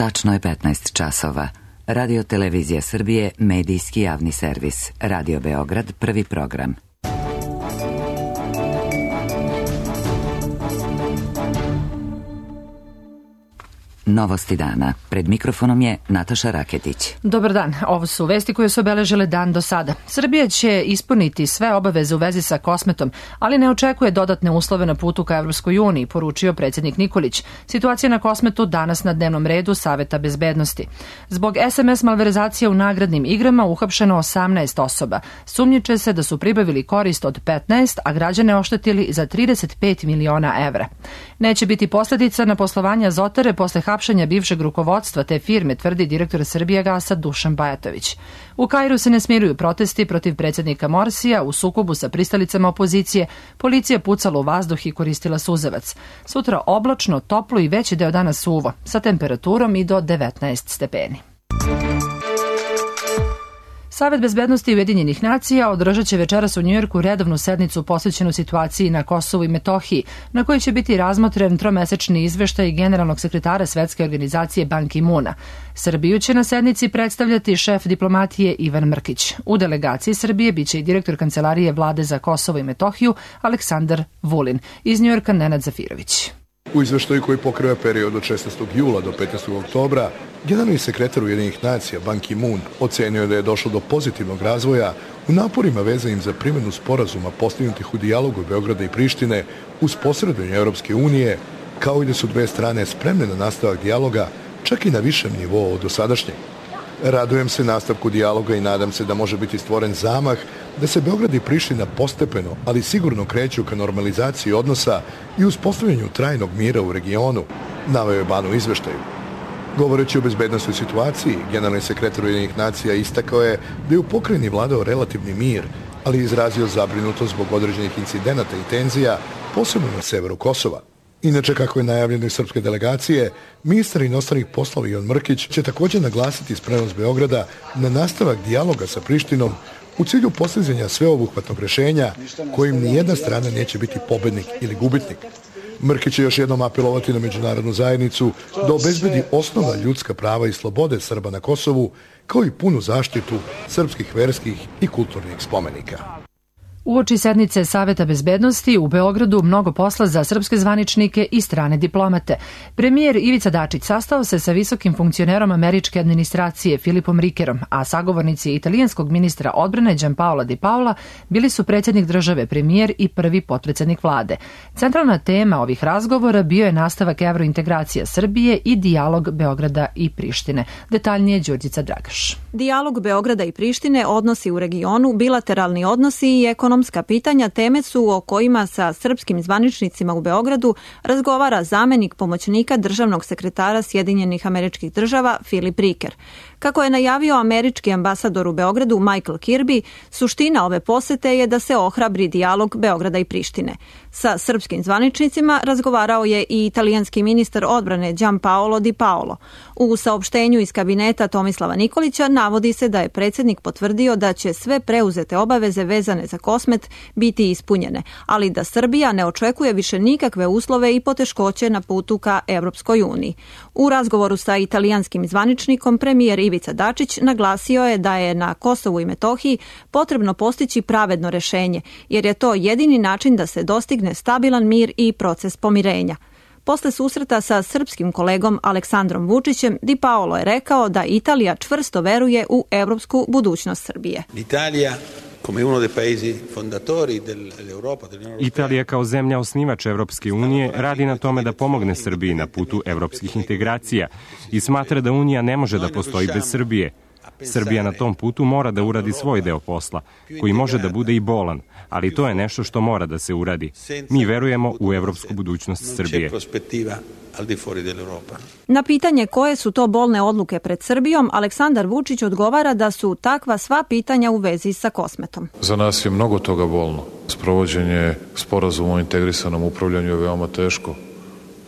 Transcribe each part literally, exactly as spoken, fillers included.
Tačno je petnaest časova. Radio Televizija Srbije, medijski javni servis. Radio Beograd, prvi program. Novosti dana. Pred mikrofonom je Nataša Raketić. Dobar dan. Ovo su vesti koje su obeležile dan do sada. Srbija će ispuniti sve obaveze u vezi sa Kosmetom, ali ne očekuje dodatne uslove na putu ka Evropskoj uniji, poručio predsjednik Nikolić. Situacija na Kosmetu danas na dnevnom redu Saveta bezbednosti. Zbog es em es malverzacija u nagradnim igrama uhapšeno osamnaest osoba. Sumnjiče se da su pribavili korist od petnaest, a građane oštetili za trideset pet miliona evra. Neće biti posljedica na poslovanje Azotare posle hapšenja bivšeg rukovodstva te firme, tvrdi direktor Srbijagasa Dušan Bajatović. U Kairu se ne smiruju protesti protiv predsjednika Morsija. U sukobu sa pristalicama opozicije policija pucala u vazduh i koristila suzavac. Sutra oblačno, toplo i veći deo dana suvo, sa temperaturom i do devetnaest stepeni. Savet bezbednosti Ujedinjenih nacija održat će večeras u Njujorku redovnu sednicu posvećenu situaciji na Kosovu i Metohiji, na kojoj će biti razmotren tromesečni izveštaj generalnog sekretara Svetske organizacije Ban Ki-moona. Srbiju će na sednici predstavljati šef diplomatije Ivan Mrkić. U delegaciji Srbije biće i direktor Kancelarije vlade za Kosovo i Metohiju Aleksandar Vulin. Iz Njujorka Nenad Zafirović. U izveštaju koji pokriva period od šesnaestog jula do petnaestog oktobra, generalni sekretar Ujedinjenih nacija Ban Ki-moon ocenio da je došlo do pozitivnog razvoja u naporima vezanim za primjenu sporazuma postignutih u dijalogu Beograda i Prištine uz posredovanje Europske unije, kao i da su dve strane spremne na nastavak dijaloga, čak i na višem nivou od dosadašnjeg. Radujem se nastavku dijaloga i nadam se da može biti stvoren zamah da se Beograd i Priština postepeno, ali sigurno kreću ka normalizaciji odnosa i uspostavljanju trajnog mira u regionu, naveo je Ban u izveštaju. Govoreći o bezbednosnoj situaciji, generalni sekretar Ujedinjenih nacija istakao je da je u pokrajini vladao relativni mir, ali izrazio zabrinutost zbog određenih incidenata i tenzija, posebno na severu Kosova. Inače, kako je najavljeno iz srpske delegacije, ministar inostranih poslova Ivan Mrkić će također naglasiti spremnost Beograda na nastavak dijaloga sa Prištinom u cilju postizanja sveobuhvatnog rješenja kojim nijedna strana neće biti pobednik ili gubitnik. Mrkić će još jednom apelovati na međunarodnu zajednicu da obezbedi osnovna ljudska prava i slobode Srba na Kosovu, kao i punu zaštitu srpskih verskih i kulturnih spomenika. Uoči sednice Saveta bezbednosti u Beogradu mnogo posla za srpske zvaničnike i strane diplomate. Premijer Ivica Dačić sastao se sa visokim funkcionerom američke administracije Filipom Rikerom, a sagovornici italijanskog ministra odbrane Gianpaola Di Paola bili su predsjednik države, premijer i prvi potpredsjednik vlade. Centralna tema ovih razgovora bio je nastavak evrointegracija Srbije i dijalog Beograda i Prištine. Detaljnije Đurđica Dragaš. Dijalog Beograda i Prištine, odnosi u regionu, bilateralni odnosi i ekonomska pitanja teme su o kojima sa srpskim zvaničnicima u Beogradu razgovara zamenik pomoćnika državnog sekretara Sjedinjenih Američkih Država Filip Riker. Kako je najavio američki ambasador u Beogradu Michael Kirby, suština ove posete je da se ohrabri dijalog Beograda i Prištine. Sa srpskim zvaničnicima razgovarao je i italijanski ministar odbrane Gianpaolo Di Paolo. U saopštenju iz kabineta Tomislava Nikolića navodi se da je predsjednik potvrdio da će sve preuzete obaveze vezane za Kosmet biti ispunjene, ali da Srbija ne očekuje više nikakve uslove i poteškoće na putu ka Evropskoj uniji. U razgovoru sa italijanskim zvaničnikom premijer Ivica Dačić naglasio je da je na Kosovu i Metohiji potrebno postići pravedno rješenje, jer je to jedini način da se dostigne stabilan mir i proces pomirenja. Posle susreta sa srpskim kolegom Aleksandrom Vučićem, Di Paolo je rekao da Italija čvrsto veruje u evropsku budućnost Srbije. Italija Italija kao zemlja osnivač Evropske unije radi na tome da pomogne Srbiji na putu evropskih integracija i smatra da Unija ne može da postoji bez Srbije. Srbija na tom putu mora da uradi svoj deo posla, koji može da bude i bolan, ali to je nešto što mora da se uradi. Mi verujemo u evropsku budućnost Srbije. Na pitanje koje su to bolne odluke pred Srbijom, Aleksandar Vučić odgovara da su takva sva pitanja u vezi sa Kosmetom. Za nas je mnogo toga bolno. Sprovođenje sporazuma o integrisanom upravljanju je veoma teško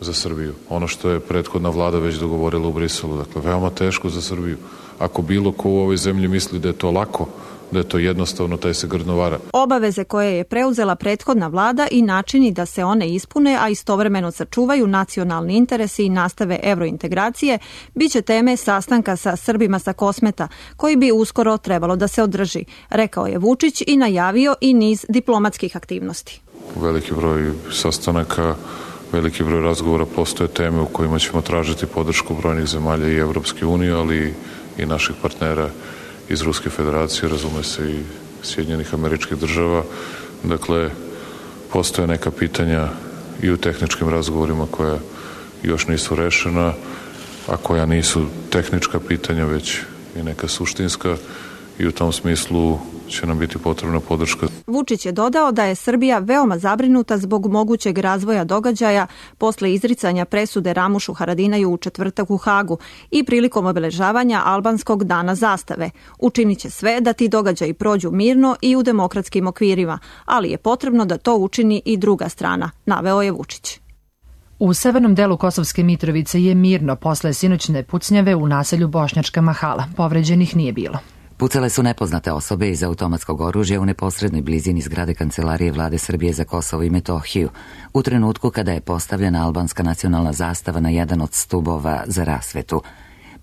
za Srbiju. Ono što je prethodna vlada već dogovorila u Briselu, dakle veoma teško za Srbiju. Ako bilo ko u ovoj zemlji misli da je to lako, da je to jednostavno, taj se grdno vara. Obaveze koje je preuzela prethodna vlada i načini da se one ispune, a istovremeno sačuvaju nacionalni interesi i nastave evrointegracije, bit će teme sastanka sa Srbima sa Kosmeta, koji bi uskoro trebalo da se održi, rekao je Vučić i najavio i niz diplomatskih aktivnosti. Veliki broj sastanaka, veliki broj razgovora, postoje teme u kojima ćemo tražiti podršku brojnih zemalja i Evropske unije, ali i naših partnera iz Ruske federacije, razume se i Sjedinjenih Američkih Država. Dakle, postoje neka pitanja i u tehničkim razgovorima koja još nisu rešena, a koja nisu tehnička pitanja, već i neka suštinska, i u tom smislu će nam biti potrebna podrška. Vučić je dodao da je Srbija veoma zabrinuta zbog mogućeg razvoja događaja posle izricanja presude Ramušu Haradinaju u četvrtak u Hagu i prilikom obeležavanja albanskog dana zastave. Učinit će sve da ti događaji prođu mirno i u demokratskim okvirima, ali je potrebno da to učini i druga strana, naveo je Vučić. U severnom delu Kosovske Mitrovice je mirno posle sinoćne pucnjave u naselju Bošnjačka Mahala. Povređenih nije bilo. Pucale su nepoznate osobe iz automatskog oružja u neposrednoj blizini zgrade Kancelarije Vlade Srbije za Kosovo i Metohiju, u trenutku kada je postavljena albanska nacionalna zastava na jedan od stubova za rasvetu.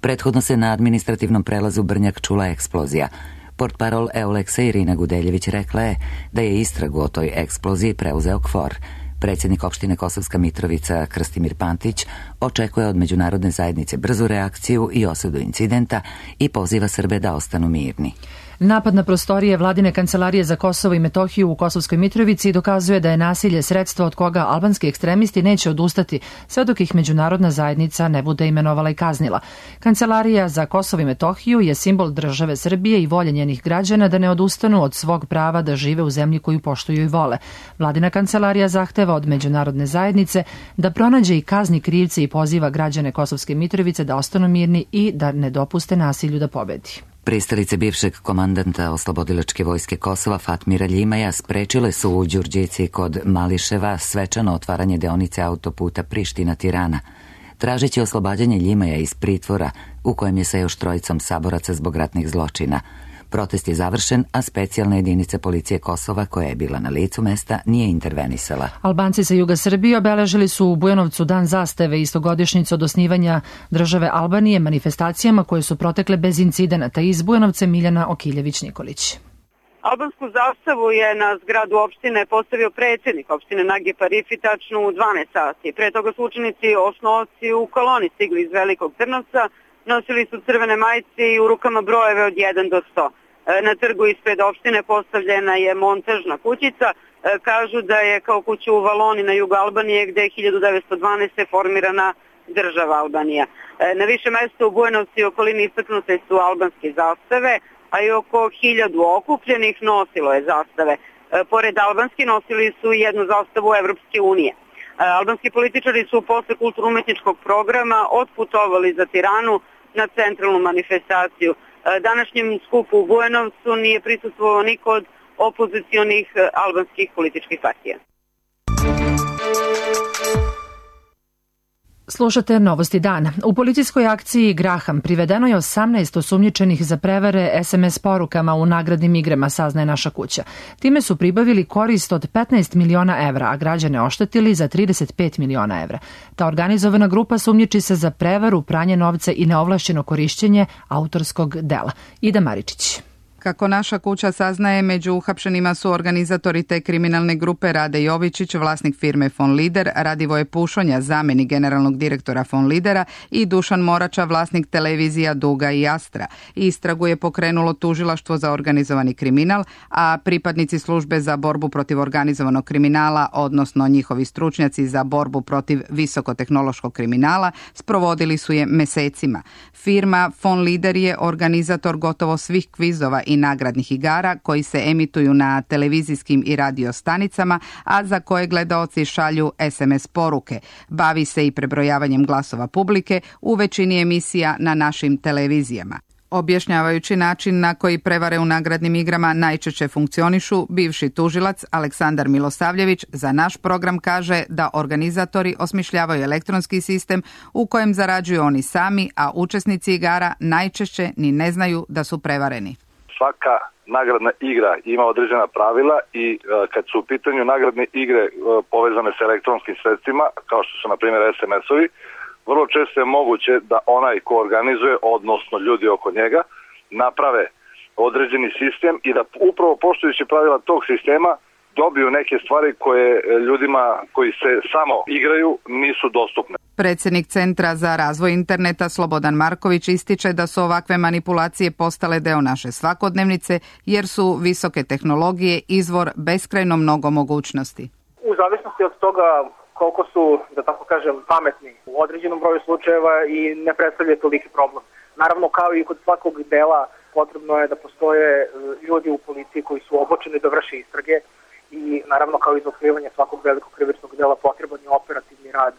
Prethodno se na administrativnom prelazu Brnjak čula eksplozija. Portparol Euleksa Irina Gudeljević rekla je da je istragu o toj eksploziji preuzeo KFOR. Predsjednik opštine Kosovska Mitrovica Krstimir Pantić očekuje od međunarodne zajednice brzu reakciju i osudu incidenta i poziva Srbe da ostanu mirni. Napad na prostorije Vladine kancelarije za Kosovo i Metohiju u Kosovskoj Mitrovici dokazuje da je nasilje sredstvo od koga albanski ekstremisti neće odustati sve dok ih međunarodna zajednica ne bude imenovala i kaznila. Kancelarija za Kosovo i Metohiju je simbol države Srbije i volje njenih građana da ne odustanu od svog prava da žive u zemlji koju poštuju i vole. Vladina kancelarija zahteva od međunarodne zajednice da pronađe i kazni krivce i poziva građane Kosovske Mitrovice da ostanu mirni i da ne dopuste nasilju da pobedi. Pristalice bivšeg komandanta Oslobodilačke vojske Kosova Fatmira Ljimaja sprečile su u Đurđici kod Mališeva svečano otvaranje deonice autoputa Priština-Tirana, tražeći oslobađanje Ljimaja iz pritvora u kojem je sa još trojicom saboraca zbog ratnih zločina. Protest je završen, a specijalna jedinica policije Kosova, koja je bila na licu mesta, nije intervenisala. Albanci sa juga Srbije obeležili su u Bujanovcu dan zastave, istogodišnjicu od osnivanja države Albanije, manifestacijama koje su protekle bez incidenata. Iz Bujanovca Miljana Okiljević-Nikolić. Albansku zastavu je na zgradu opštine postavio predsjednik opštine Nagip Arifi tačno u dvanaest sati. Pre toga su učenici osnovci u koloni stigli iz Velikog Trnovca, nosili su crvene majice i u rukama brojeve od jedan do sto. Na trgu ispred opštine postavljena je montažna kućica. Kažu da je kao kuća u Valoni na jugu Albanije, gde je hiljadu devetsto dvanaeste. formirana država Albanija. Na više mesta u Bujanovcu i okolini istaknute su albanske zastave, a i oko hiljadu okupljenih nosilo je zastave. Pored albanski nosili su jednu zastavu Evropske unije. Albanski političari su posle kulturno-umetničkog programa otputovali za Tiranu na centralnu manifestaciju. Današnjem skupu u Bujanovcu nije prisustvovao niko od opozicionih albanskih političkih partija. Slušate Novosti dana. U policijskoj akciji Graham privedeno je osamnaest osumnjičenih za prevare es em es porukama u nagradnim igrama, saznaje Naša kuća. Time su pribavili korist od petnaest miliona evra, a građane oštetili za trideset pet miliona evra. Ta organizovana grupa sumnjiči se za prevaru, pranje novca i neovlašćeno korišćenje autorskog dela. Ida Maričić. Kako Naša kuća saznaje, među uhapšenima su organizatori te kriminalne grupe Rade Jovičić, vlasnik firme Fon Lider, Radivoje Pušonja, zamenik generalnog direktora Fon Lidera i Dušan Morača, vlasnik televizija Duga i Astra. Istragu je pokrenulo tužilaštvo za organizovani kriminal, a pripadnici službe za borbu protiv organizovanog kriminala, odnosno njihovi stručnjaci za borbu protiv visokotehnološkog kriminala, sprovodili su je mesecima. Firma Fon Lider je organizator gotovo svih kvizova i nagradnih igara koji se emituju na televizijskim i radio stanicama, a za koje gledaoci šalju es em es poruke. Bavi se i prebrojavanjem glasova publike u većini emisija na našim televizijama. Objašnjavajući način na koji prevare u nagradnim igrama najčešće funkcionišu, bivši tužilac Aleksandar Milosavljević za naš program kaže da organizatori osmišljavaju elektronski sistem u kojem zarađuju oni sami, a učesnici igara najčešće ni ne znaju da su prevareni. Svaka nagradna igra ima određena pravila i kad su u pitanju nagradne igre povezane sa elektronskim sredstvima, kao što su na primjer es em es-ovi, vrlo često je moguće da onaj ko organizuje, odnosno ljudi oko njega, naprave određeni sistem i da upravo poštujući pravila tog sistema dobiju neke stvari koje ljudima koji se samo igraju nisu dostupne. Predsjednik Centra za razvoj interneta Slobodan Marković ističe da su ovakve manipulacije postale deo naše svakodnevnice jer su visoke tehnologije izvor beskrajno mnogo mogućnosti. U zavisnosti od toga koliko su, da tako kažem, pametni u određenom broju slučajeva i ne predstavlja toliki problem. Naravno, kao i kod svakog dela, potrebno je da postoje ljudi u policiji koji su obučeni da vrše istrage i naravno kao i za otkrivanje svakog velikog krivičnog dela potreban je operativni rad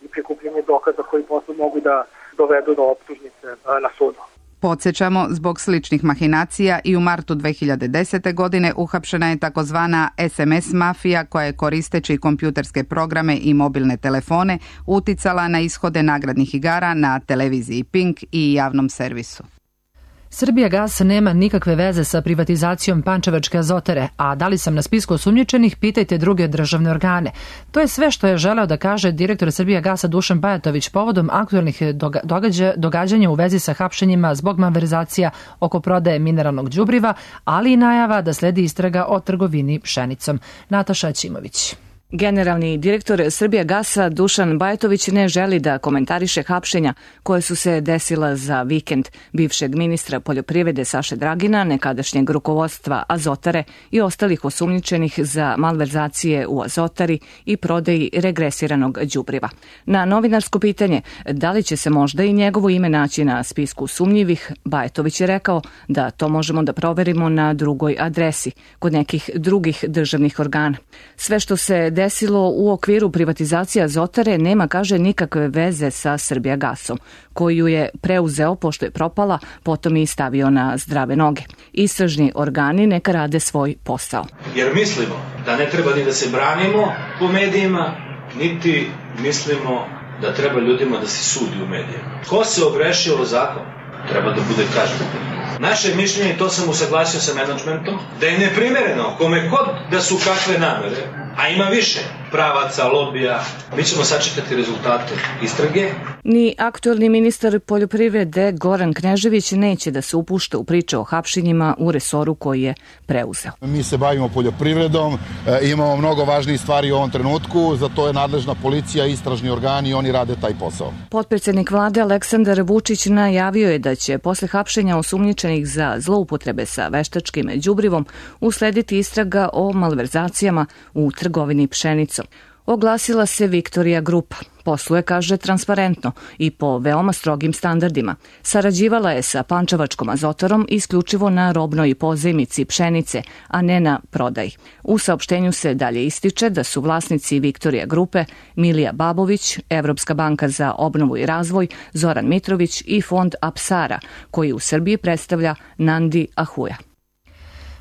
i prikupljanje dokaza koji posle mogu da dovedu do optužnice na sudu. Podsjećamo, zbog sličnih mahinacija i u martu dve hiljade desete. godine uhapšena je takozvana es em es mafija koja je koristeći kompjuterske programe i mobilne telefone uticala na ishode nagradnih igara na televiziji Pink i javnom servisu. Srbijagas nema nikakve veze sa privatizacijom pančevačke Azotere, a da li sam na spisku osumnjičenih, pitajte druge državne organe. To je sve što je želeo da kaže direktor Srbijagasa Dušan Bajatović povodom aktuelnih događa, događanja u vezi sa hapšenjima zbog malverzacija oko prodaje mineralnog đubriva, ali i najava da sledi istraga o trgovini pšenicom. Nataša Ćimović. Generalni direktor Srbijagasa Dušan Bajatović ne želi da komentariše hapšenja koje su se desila za vikend bivšeg ministra poljoprivrede Saše Dragina, nekadašnjeg rukovodstva Azotare i ostalih osumnjičenih za malverzacije u Azotari i prodaji regresiranog đubriva. Na novinarsko pitanje da li će se možda i njegovo ime naći na spisku sumnjivih, Bajatović je rekao da to možemo da proverimo na drugoj adresi, kod nekih drugih državnih organa. Sve što se desilo u okviru privatizacije Azotare nema, kaže, nikakve veze sa Srbijagasom, koju je preuzeo pošto je propala, potom i stavio na zdrave noge. Istražni organi neka rade svoj posao. Jer mislimo da ne treba ni da se branimo po medijima, niti mislimo da treba ljudima da se sudi u medijima. Ko se ogrešio o zakon, treba da bude kažnjen. Naše mišljenje, i to sam usaglasio sa menadžmentom, da je neprimereno kome god da su kakve namere, a ima više pravaca, lobija, mi ćemo sačekati rezultate istrage. Ni aktuelni ministar poljoprivrede Goran Knežević neće da se upušta u priče o hapšenjima u resoru koji je preuzeo. Mi se bavimo poljoprivredom, imamo mnogo važnijih stvari u ovom trenutku, za to je nadležna policija, istražni organi i oni rade taj posao. Potpredsednik vlade Aleksandar Vučić najavio je da će posle hapšenja osumnjičenih za zloupotrebe sa veštačkim đubrivom uslediti istraga o malverzacijama u trgovini pšenicom. Oglasila se Viktorija Grupa. Posluje, kaže, transparentno i po veoma strogim standardima. Sarađivala je sa pančevačkom Azotarom isključivo na robnoj pozajmici pšenice, a ne na prodaji. U saopštenju se dalje ističe da su vlasnici Viktorija Grupe Milija Babović, Evropska banka za obnovu i razvoj, Zoran Mitrović i fond Apsara, koji u Srbiji predstavlja Nandi Ahuja.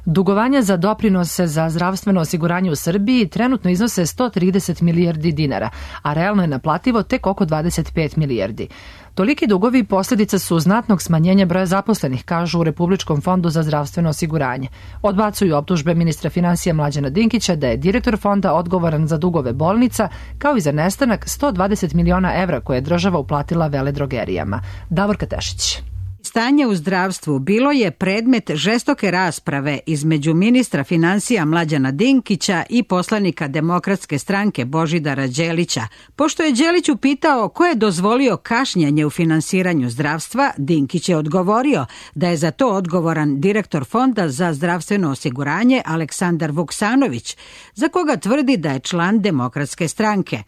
Dugovanja za doprinose za zdravstveno osiguranje u Srbiji trenutno iznose sto trideset milijardi dinara, a realno je naplativo tek oko dvadeset pet milijardi. Toliki dugovi posljedica su znatnog smanjenja broja zaposlenih, kažu u Republičkom fondu za zdravstveno osiguranje. Odbacuju optužbe ministra finansija Mlađana Dinkića da je direktor fonda odgovoran za dugove bolnica, kao i za nestanak sto dvadeset miliona evra koje je država uplatila veledrogerijama. Davorka Tešić. Stanje u zdravstvu bilo je predmet žestoke rasprave između ministra finansija Mlađana Dinkića i poslanika Demokratske stranke Božidara Đelića. Pošto je Đelić upitao ko je dozvolio kašnjenje u finansiranju zdravstva, Dinkić je odgovorio da je za to odgovoran direktor Fonda za zdravstveno osiguranje Aleksandar Vuksanović, za koga tvrdi da je član Demokratske stranke.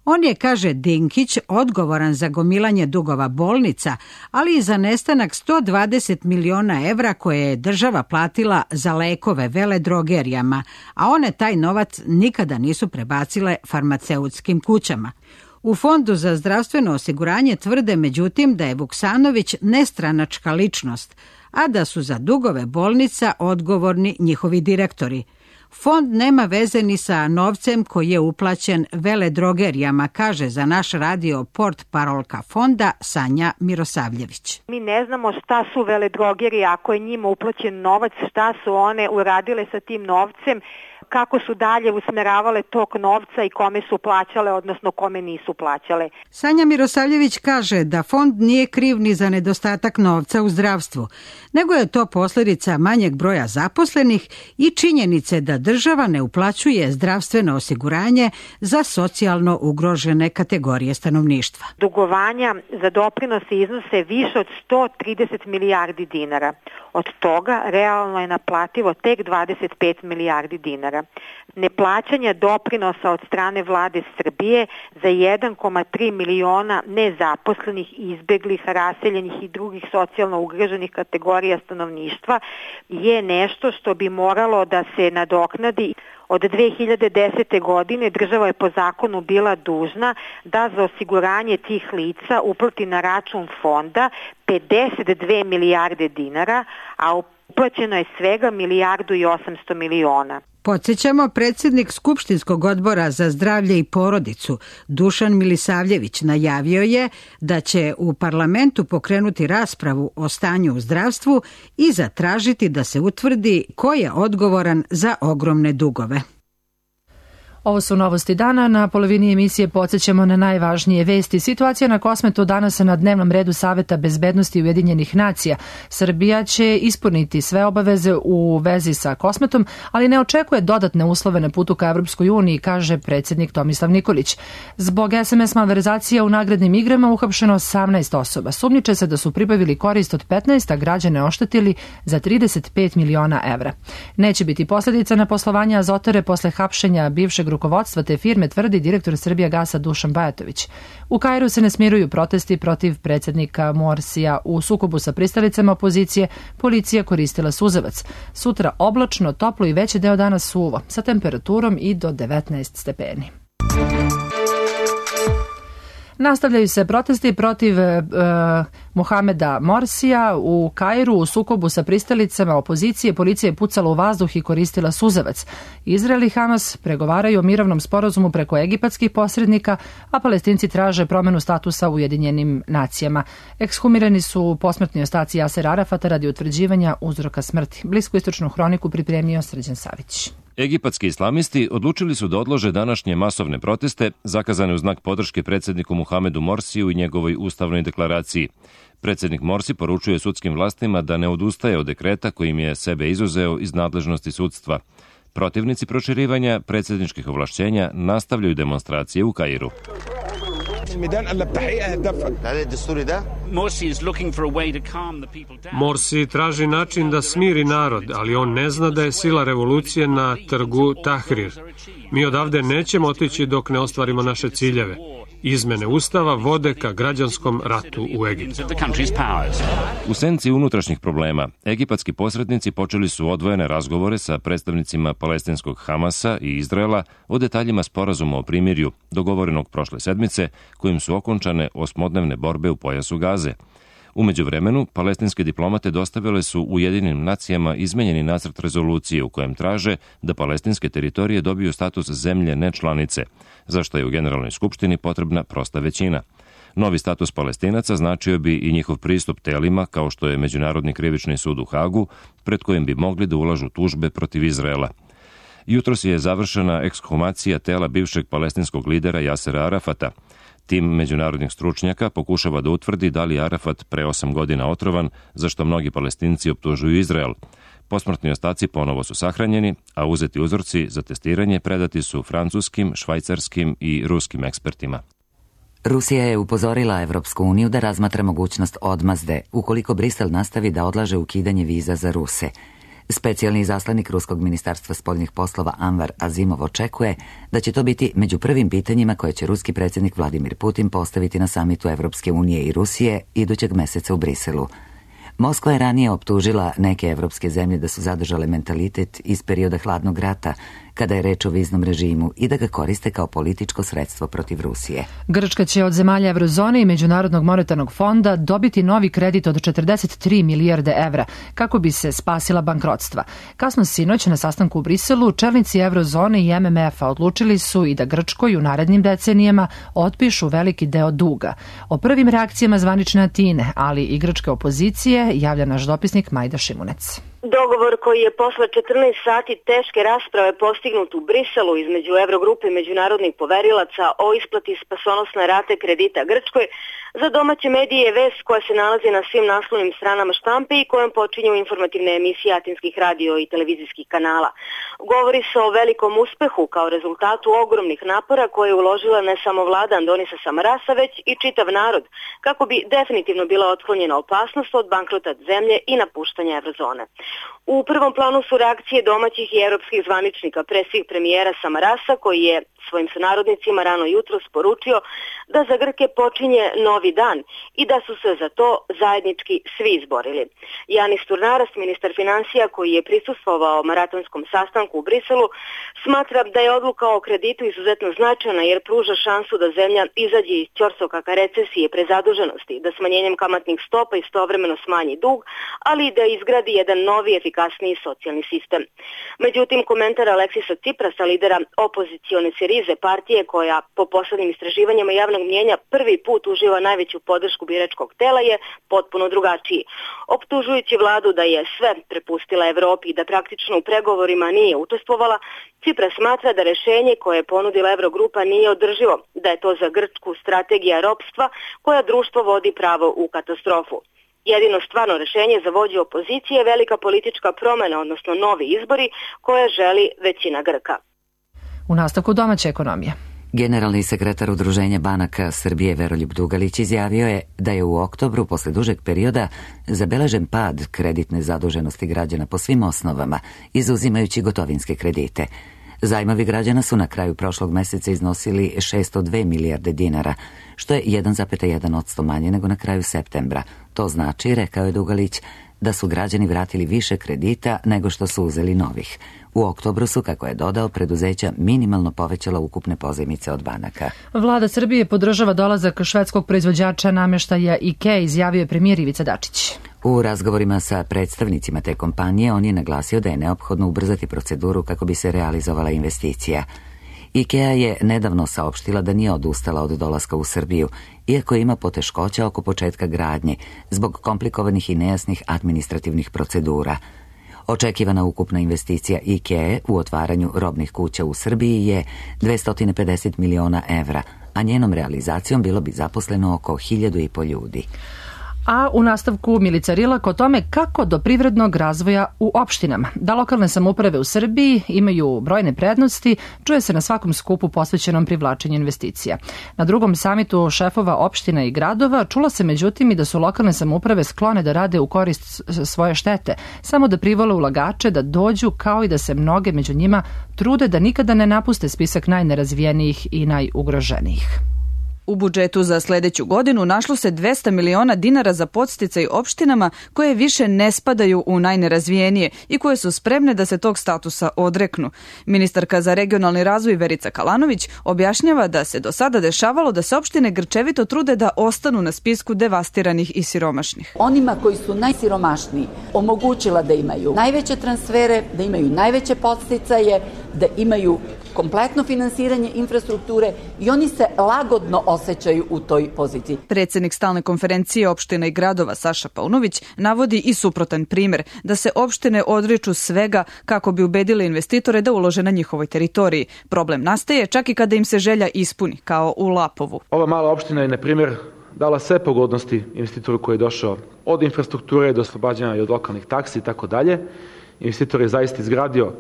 On je, kaže Dinkić, odgovoran za gomilanje dugova bolnica, ali i za nestanak sto dvadeset miliona evra koje je država platila za lekove veledrogerijama, a one taj novac nikada nisu prebacile farmaceutskim kućama. U Fondu za zdravstveno osiguranje tvrde međutim da je Vuksanović nestranačka ličnost, a da su za dugove bolnica odgovorni njihovi direktori. Fond nema veze ni sa novcem koji je uplaćen veledrogerijama, kaže za naš radio port parolka fonda Sanja Mirosavljević. Mi ne znamo šta su veledrogerije, ako je njima uplaćen novac, šta su one uradile sa tim novcem, kako su dalje usmeravale tok novca i kome su plaćale, odnosno kome nisu plaćale. Sanja Mirosavljević kaže da fond nije kriv ni za nedostatak novca u zdravstvu, nego je to posljedica manjeg broja zaposlenih i činjenice da država ne uplaćuje zdravstveno osiguranje za socijalno ugrožene kategorije stanovništva. Dugovanja za doprinose iznose više od sto trideset milijardi dinara. Od toga realno je naplativo tek dvadeset pet milijardi dinara. Neplaćanje doprinosa od strane vlade Srbije za jedan zarez tri miliona nezaposlenih, izbeglih, raseljenih i drugih socijalno ugroženih kategorija stanovništva je nešto što bi moralo da se nadoknadi. Od dve hiljade desete. godine država je po zakonu bila dužna da za osiguranje tih lica uplati na račun fonda pedeset dve milijarde dinara, a uplaćeno je svega milijardu i osamsto miliona. Podsjećamo, predsjednik Skupštinskog odbora za zdravlje i porodicu Dušan Milisavljević najavio je da će u parlamentu pokrenuti raspravu o stanju u zdravstvu i zatražiti da se utvrdi ko je odgovoran za ogromne dugove. Ovo su novosti dana. Na polovini emisije podsjećamo na najvažnije vesti. Situacija na Kosmetu danas na dnevnom redu Saveta bezbednosti Ujedinjenih nacija. Srbija će ispuniti sve obaveze u vezi sa Kosmetom, ali ne očekuje dodatne uslove na putu ka Evropskoj uniji, kaže predsjednik Tomislav Nikolić. Zbog es em es malverzacija u nagradnim igrama uhapšeno osamnaest osoba. Sumnjiče se da su pribavili korist od petnaest, a građane oštetili za trideset pet miliona evra. Neće biti posljedica na poslovanje Azotare posle hapšenja bivšeg rukovodstva te firme, tvrdi direktor Srbijagasa Dušan Bajatović. U Kairu se ne smiruju protesti protiv predsjednika Morsija. U sukobu sa pristalicama opozicije policija koristila suzavac. Sutra oblačno, toplo i veći deo dana suvo, sa temperaturom i do devetnaest stepeni. Nastavljaju se protesti protiv e, Mohameda Morsija u Kairu. U sukobu sa pristalicama opozicije policija je pucala u vazduh i koristila suzavac. Izrael i Hamas pregovaraju o mirovnom sporazumu preko egipatskih posrednika, a Palestinci traže promenu statusa u Ujedinjenim nacijama. Ekshumirani su posmrtni ostaci Jasera Arafata radi utvrđivanja uzroka smrti. Bliskoistočnu hroniku pripremio Srđan Savić. Egipatski islamisti odlučili su da odlože današnje masovne proteste zakazane u znak podrške predsjedniku Muhamedu Morsiju i njegovoj ustavnoj deklaraciji. Predsjednik Morsi poručuje sudskim vlastima da ne odustaje od dekreta kojim je sebe izuzeo iz nadležnosti sudstva. Protivnici proširivanja predsjedničkih ovlašćenja nastavljaju demonstracije u Kairu. Morsi traži način da smiri narod, ali on ne zna da je sila revolucije na trgu Tahrir. Mi odavde nećemo otići dok ne ostvarimo naše ciljeve. Izmene ustava vode ka građanskom ratu u Egiptu. U senci unutrašnjih problema, egipatski posrednici počeli su odvojene razgovore sa predstavnicima palestinskog Hamasa i Izraela o detaljima sporazuma o primirju, dogovorenog prošle sedmice, kojim su okončane osmodnevne borbe u pojasu Gaze. U međuvremenu, palestinske diplomate dostavile su Ujedinjenim nacijama izmenjeni nacrt rezolucije u kojem traže da palestinske teritorije dobiju status zemlje nečlanice, za što je u Generalnoj skupštini potrebna prosta većina. Novi status Palestinaca značio bi i njihov pristup telima kao što je Međunarodni krivični sud u Hagu, pred kojim bi mogli da ulažu tužbe protiv Izraela. Jutros je završena ekshumacija tela bivšeg palestinskog lidera Jasera Arafata. Tim međunarodnih stručnjaka pokušava da utvrdi da li Arafat pre osam godina otrovan, za što mnogi Palestinci optužuju Izrael. Posmrtni ostaci ponovo su sahranjeni, a uzeti uzorci za testiranje predati su francuskim, švajcarskim i ruskim ekspertima. Rusija je upozorila Evropsku uniju da razmatra mogućnost odmazde ukoliko Brisel nastavi da odlaže ukidanje viza za Ruse. Specijalni izaslanik Ruskog ministarstva spoljnih poslova Anvar Azimov očekuje da će to biti među prvim pitanjima koje će ruski predsjednik Vladimir Putin postaviti na samitu Evropske unije i Rusije idućeg meseca u Briselu. Moskva je ranije optužila neke evropske zemlje da su zadržale mentalitet iz perioda hladnog rata, kada je reč o viznom režimu i da ga koriste kao političko sredstvo protiv Rusije. Grčka će od zemalja Evrozone i Međunarodnog monetarnog fonda dobiti novi kredit od četrdeset tri milijarde evra kako bi se spasila bankrotstva. Kasno sinoć na sastanku u Briselu čelnici Evrozone i M M F-a odlučili su i da Grčkoj u narednim decenijama otpišu veliki deo duga. O prvim reakcijama zvanične Atine, ali i grčke opozicije, javlja naš dopisnik Majda Šimunec. Dogovor koji je posle četrnaest sati teške rasprave postignut u Briselu između Evrogrupe i međunarodnih poverilaca o isplati spasonosne rate kredita Grčkoj, za domaće medije je vest koja se nalazi na svim naslovnim stranama štampe i kojom počinju informativne emisije atinskih radio i televizijskih kanala. Govori se o velikom uspehu kao rezultatu ogromnih napora koje je uložila ne samo vlada Andonisa Samarasa, već i čitav narod, kako bi definitivno bila otklonjena opasnost od bankrota zemlje i napuštanja Evrozone. U prvom planu su reakcije domaćih i europskih zvaničnika, pre svih premijera Samarasa, koji je svojim sunarodnicima rano jutro sporučio da za Grke počinje novi dan i da su se za to zajednički svi izborili. Janis Turnaras, ministar finansija koji je prisustvovao maratonskom sastanku u Briselu, smatra da je odluka o kreditu izuzetno značajna jer pruža šansu da zemlja izađe iz ćorsokaka recesije prezaduženosti, da smanjenjem kamatnih stopa istovremeno smanji dug, ali i da izgradi jedan novi efikasniji socijalni sistem. Međutim, komentar Aleksisa Tsiprasa, lidera opozicione Sirize partije koja po poslednjim istraživanjima javnog mnjenja prvi put uživa najveću podršku biračkog tela, je potpuno drugačiji. Optužujući vladu da je sve prepustila Evropi i da praktično u pregovorima nije učestvovala, Tsipras smatra da rešenje koje je ponudila Evrogrupa nije održivo, da je to za Grčku strategija ropstva koja društvo vodi pravo u katastrofu. Jedino stvarno rešenje za vođu opozicije je velika politička promena, odnosno novi izbori koje želi većina Grka. U nastavku domaće ekonomije. Generalni sekretar Udruženja banaka Srbije Veroljub Dugalić izjavio je da je u oktobru posle dužeg perioda zabeležen pad kreditne zaduženosti građana po svim osnovama, izuzimajući gotovinske kredite. Zajmovi građana su na kraju prošlog meseca iznosili šesto dve milijarde dinara, što je jedan zarez jedan posto manje nego na kraju septembra. To znači, rekao je Dugalić, da su građani vratili više kredita nego što su uzeli novih. U oktobru su, kako je dodao, preduzeća minimalno povećala ukupne pozajmice od banaka. Vlada Srbije podržava dolazak švedskog proizvođača nameštaja IKEA, izjavio je premijer Ivica Dačić. U razgovorima sa predstavnicima te kompanije on je naglasio da je neophodno ubrzati proceduru kako bi se realizovala investicija. IKEA je nedavno saopštila da nije odustala od dolaska u Srbiju, iako ima poteškoća oko početka gradnje, zbog komplikovanih i nejasnih administrativnih procedura. Očekivana ukupna investicija IKEA u otvaranju robnih kuća u Srbiji je dvesta pedeset miliona evra, a njenom realizacijom bilo bi zaposleno oko hiljadu i po ljudi. A u nastavku Milica Rilak o tome kako do privrednog razvoja u opštinama. Da lokalne samouprave u Srbiji imaju brojne prednosti, čuje se na svakom skupu posvećenom privlačenju investicija. Na drugom samitu šefova opština i gradova čulo se međutim i da su lokalne samouprave sklone da rade u korist svoje štete, samo da privole ulagače da dođu, kao i da se mnoge među njima trude da nikada ne napuste spisak najnerazvijenijih i najugroženijih. U budžetu za sledeću godinu našlo se dvesta miliona dinara za podsticaj opštinama koje više ne spadaju u najnerazvijenije i koje su spremne da se tog statusa odreknu. Ministarka za regionalni razvoj Verica Kalanović objašnjava da se do sada dešavalo da se opštine grčevito trude da ostanu na spisku devastiranih i siromašnih. Onima koji su najsiromašniji omogućila da imaju najveće transfere, da imaju najveće podsticaje, da imaju kompletno finansiranje infrastrukture i oni se lagodno osjećaju u toj poziciji. Predsednik stalne konferencije opština i gradova Saša Paunović navodi i suprotan primer, da se opštine odriču svega kako bi ubedile investitore da ulože na njihovoj teritoriji. Problem nastaje čak i kada im se želja ispuni, kao u Lapovu. Ova mala opština je, na primjer, dala sve pogodnosti investitoru koji je došao od infrastrukture do oslobađanja i od lokalnih taksi i tako dalje. Investitor je zaista izgradio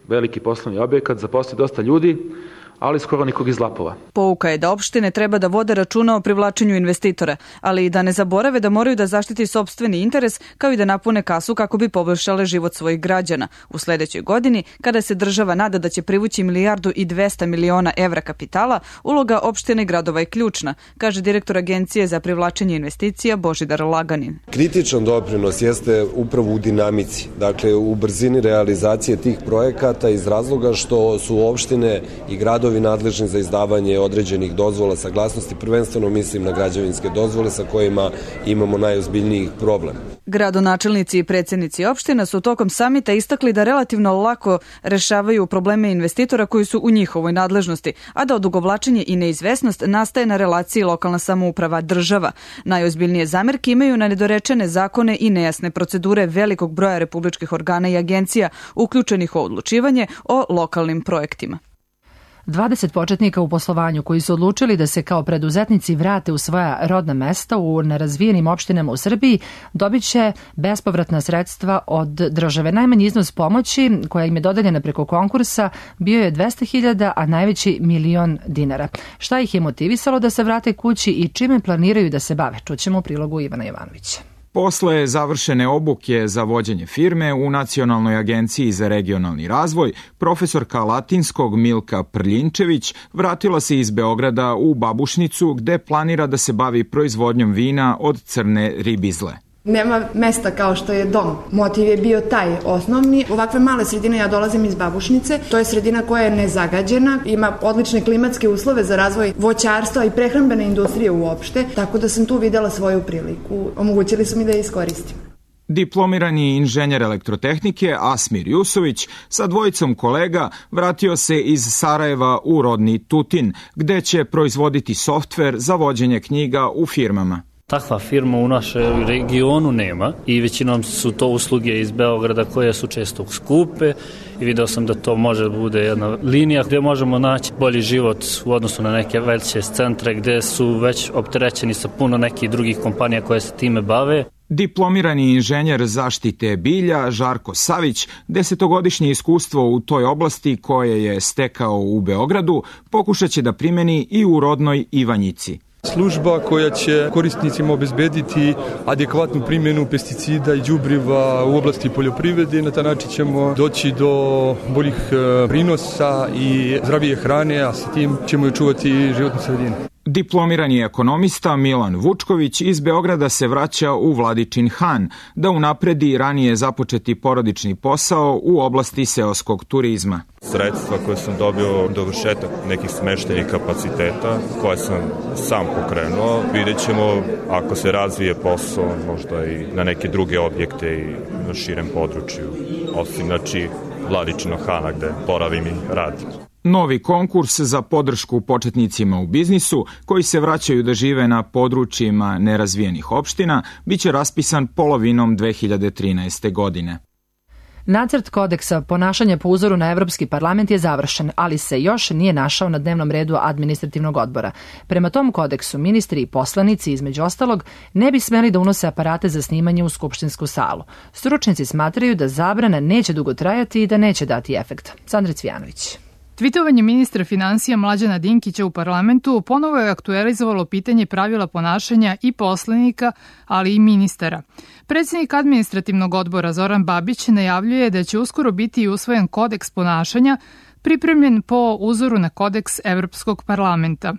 veliki poslovni objekat, zaposlio dosta ljudi, ali skoro nikog iz Lapova. Pouka je da opštine treba da vode računa o privlačenju investitora, ali i da ne zaborave da moraju da zaštiti sopstveni interes kao i da napune kasu kako bi poboljšale život svojih građana. U sledećoj godini, kada se država nada da će privući milijardu i dvesta miliona evra kapitala, uloga opštine i gradova je ključna, kaže direktor Agencije za privlačenje investicija Božidar Laganin. Kritičan doprinos jeste upravo u dinamici, dakle u brzini realizacije tih projekata iz razloga što su opštine i gradovi nadležni za izdavanje određenih dozvola saglasnosti, prvenstveno mislim na građevinske dozvole sa kojima imamo najozbiljnijih problem. Gradonačelnici i predsjednici opština su tokom samita istakli da relativno lako rešavaju probleme investitora koji su u njihovoj nadležnosti, a da odugovlačenje i neizvesnost nastaje na relaciji lokalna samouprava država. Najozbiljnije zamerke imaju na nedorečene zakone i nejasne procedure velikog broja republičkih organa i agencija uključenih u odlučivanje o lokalnim projektima. dvadeset početnika u poslovanju koji su odlučili da se kao preduzetnici vrate u svoja rodna mesta u nerazvijenim opštinama u Srbiji dobit će bespovratna sredstva od države. Najmanji iznos pomoći koja im je dodeljena preko konkursa bio je dvesta hiljada, a najveći milion dinara. Šta ih je motivisalo da se vrate kući i čime planiraju da se bave? Čućemo u prilogu Ivana Jovanovića. Posle završene obuke za vođenje firme u Nacionalnoj agenciji za regionalni razvoj, profesorka latinskog Milka Prljinčević vratila se iz Beograda u Babušnicu gde planira da se bavi proizvodnjom vina od crne ribizle. Nema mesta kao što je dom. Motiv je bio taj osnovni. Ovakve male sredine, ja dolazim iz Babušnice, to je sredina koja je nezagađena, ima odlične klimatske uslove za razvoj voćarstva i prehrambene industrije uopšte, tako da sam tu videla svoju priliku. Omogućili su mi da je iskoristim. Diplomirani inženjer elektrotehnike Asmir Jusović sa dvojicom kolega vratio se iz Sarajeva u rodni Tutin, gde će proizvoditi softver za vođenje knjiga u firmama. Takva firma u našem regionu nema i većinom su to usluge iz Beograda koje su često skupe i video sam da to može da bude jedna linija gdje možemo naći bolji život u odnosu na neke veće centre gdje su već opterećeni sa puno nekih drugih kompanija koje se time bave. Diplomirani inženjer zaštite bilja Žarko Savić, desetogodišnje iskustvo u toj oblasti koje je stekao u Beogradu, pokušat će da primeni i u rodnoj Ivanjici. Služba koja će korisnicima obezbediti adekvatnu primjenu pesticida i đubriva u oblasti poljoprivrede. Na taj način ćemo doći do boljih prinosa i zdravije hrane, a sa tim ćemo i čuvati životnu sredinu. Diplomirani ekonomista Milan Vučković iz Beograda se vraća u Vladičin Han da unapredi ranije započeti porodični posao u oblasti seoskog turizma. Sredstva koje sam dobio, dovršetak nekih smeštenih kapaciteta koje sam sam pokrenuo, vidjet ćemo ako se razvije posao možda i na neke druge objekte i na širem području, osim znači Vladičinog Hana gde boravim i radim. Novi konkurs za podršku početnicima u biznisu koji se vraćaju da žive na područjima nerazvijenih opština biće raspisan polovinom dve hiljade trinaeste. godine. Nacrt kodeksa ponašanja po uzoru na Evropski parlament je završen, ali se još nije našao na dnevnom redu administrativnog odbora. Prema tom kodeksu ministri i poslanici, između ostalog, ne bi smeli da unose aparate za snimanje u skupštinsku salu. Stručnjaci smatraju da zabrana neće dugo trajati i da neće dati efekt. Sandra Cvijanović. Tvitovanje ministra finansija Mlađana Dinkića u parlamentu ponovo je aktualizovalo pitanje pravila ponašanja i poslanika, ali i ministara. Predsjednik administrativnog odbora Zoran Babić najavljuje da će uskoro biti usvojen kodeks ponašanja pripremljen po uzoru na kodeks Evropskog parlamenta.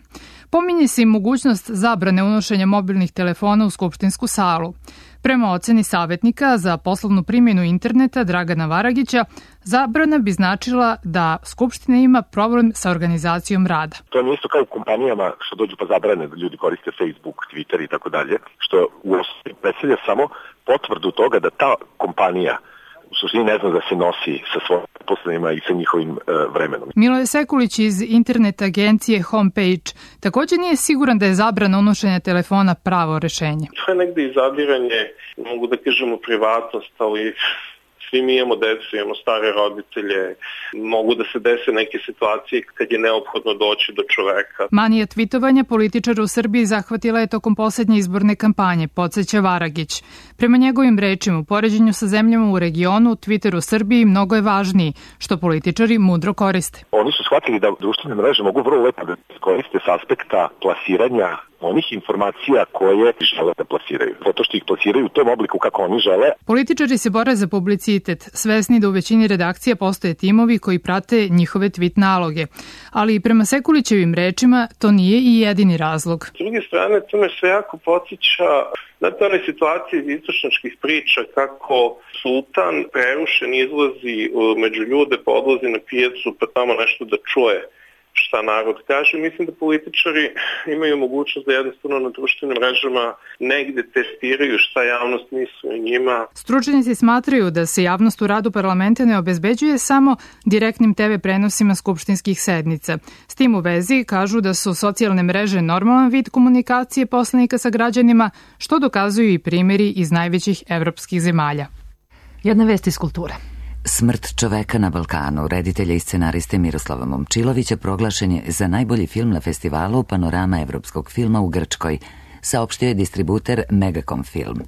Pominje se i mogućnost zabrane unošenja mobilnih telefona u skupštinsku salu. Prema oceni savjetnika za poslovnu primjenu interneta Dragana Varagića, zabrana bi značila da Skupština ima problem sa organizacijom rada. To je isto kao u kompanijama što dođu pa zabrane da ljudi koriste Facebook, Twitter i tako dalje, što u osnovi predstavlja samo potvrdu toga da ta kompanija u suštini ne zna da se nosi sa svojim poslovima i sa njihovim e, vremenom. Miloje Sekulić iz internet agencije Homepage također nije siguran da je zabrana unošenja telefona pravo rešenje. To je negde izabiranje, mogu da kažemo, privatnost, ali Svi mi imamo decu, imamo stare roditelje, mogu da se dese neke situacije kad je neophodno doći do čoveka. Manija tvitovanja političara u Srbiji zahvatila je tokom poslednje izborne kampanje, podsjeća Varagić. Prema njegovim rečima, u poređenju sa zemljama u regionu, Twitter u Srbiji mnogo je važniji, što političari mudro koriste. Oni su shvatili da društvene mreže mogu vrlo lepo da koriste s aspekta plasiranja onih informacija koje žele da plasiraju. Zato što ih plasiraju u tom obliku kako oni žele. Političari se bore za publicitet, svesni da u većini redakcija postoje timovi koji prate njihove tweet naloge. Ali i prema Sekulićevim rečima to nije i jedini razlog. S druge strane, to me sve jako podsjeća na one situacije iz istočničkih priča kako sultan prerušen izlazi među ljude, pa odlazi na pijacu pa tamo nešto da čuje šta narod kaže. Mislim da političari imaju mogućnost da jednostavno na društvenim mrežama negde testiraju šta javnost misli o njima. Stručnjaci smatraju da se javnost u radu parlamenta ne obezbeđuje samo direktnim te ve prenosima skupštinskih sednica. S tim u vezi kažu da su socijalne mreže normalan vid komunikacije poslanika sa građanima, što dokazuju i primjeri iz najvećih evropskih zemalja. Jedna vest iz kulture. Smrt čoveka na Balkanu, reditelja i scenariste Miroslava Momčilovića, proglašen je za najbolji film na festivalu Panorama evropskog filma u Grčkoj, saopštio je distributer Megacom Film.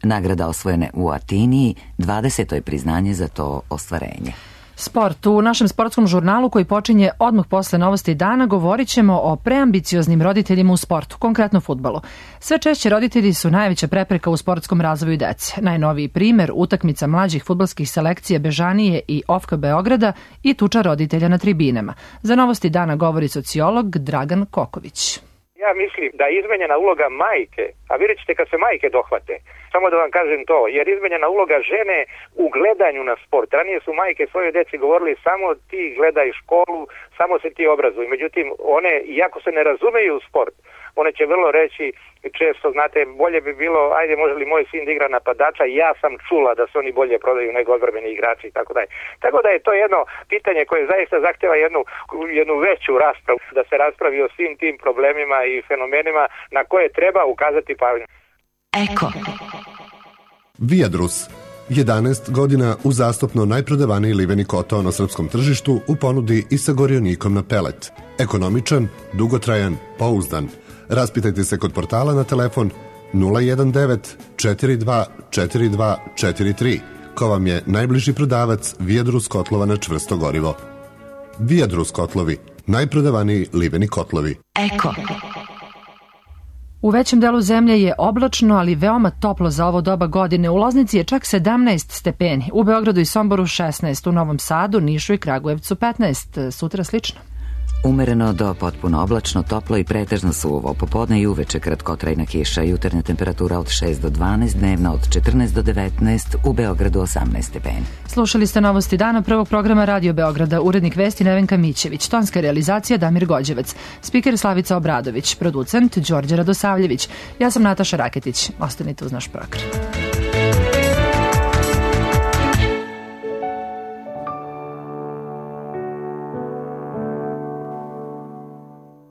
Nagrada osvojene u Atiniji, dvadeseto je priznanje za to ostvarenje. Sport. U našem sportskom žurnalu koji počinje odmah posle novosti dana govorit ćemo o preambicioznim roditeljima u sportu, konkretno fudbalu. Sve češće roditelji su najveća prepreka u sportskom razvoju dece. Najnoviji primer utakmica mlađih fudbalskih selekcija Bežanije i Ofka Beograda i tuča roditelja na tribinama. Za novosti dana govori sociolog Dragan Koković. Ja mislim da je izmenjena uloga majke, a vidjet ćete kad se majke dohvate, samo da vam kažem to, jer izmenjena uloga žene u gledanju na sport. Ranije su majke svojoj deci govorili samo ti gledaj školu, samo se ti obrazuj. Međutim, one, iako se ne razumeju u sport, one će vrlo reći često, znate, bolje bi bilo, ajde, može li moj sin da igra napadača, ja sam čula da se oni bolje prodaju nego odbrambeni igrači i tako dalje. Tako da je to jedno pitanje koje zaista zahteva jednu, jednu veću raspravu, da se raspravi o svim tim problemima i fenomenima na koje treba ukazati pažnju. Eko. Viadrus. jedanaest godina uzastopno najprodavaniji liveni koto na srpskom tržištu u ponudi i sa gorionikom na pelet. Ekonomičan, dugotrajan, pouzdan. Raspitajte se kod portala na telefon nula jedan devet četiri dva četiri dva četiri tri, ko vam je najbliži prodavac Viadrus kotlova na čvrsto gorivo. Viadrus kotlovi, najprodavaniji liveni kotlovi. Eko. U većem delu zemlje je oblačno, ali veoma toplo za ovo doba godine. U Loznici je čak sedamnaest stepeni, u Beogradu i Somboru šesnaest, u Novom Sadu, Nišu i Kragujevcu petnaest, sutra slično. Umereno do potpuno oblačno, toplo i pretežno suvo. Popodne i uveče kratkotrajna kiša, jutarnja temperatura od šest do dvanaest, dnevna od četrnaest do devetnaest, u Beogradu osamnaest stepeni. Slušali ste novosti dana prvog programa Radio Beograda, urednik vesti Nevenka Mićević, tonska realizacija Damir Gođevac, spiker Slavica Obradović, producent Đorđe Radosavljević. Ja sam Nataša Raketić. Ostanite uz naš program.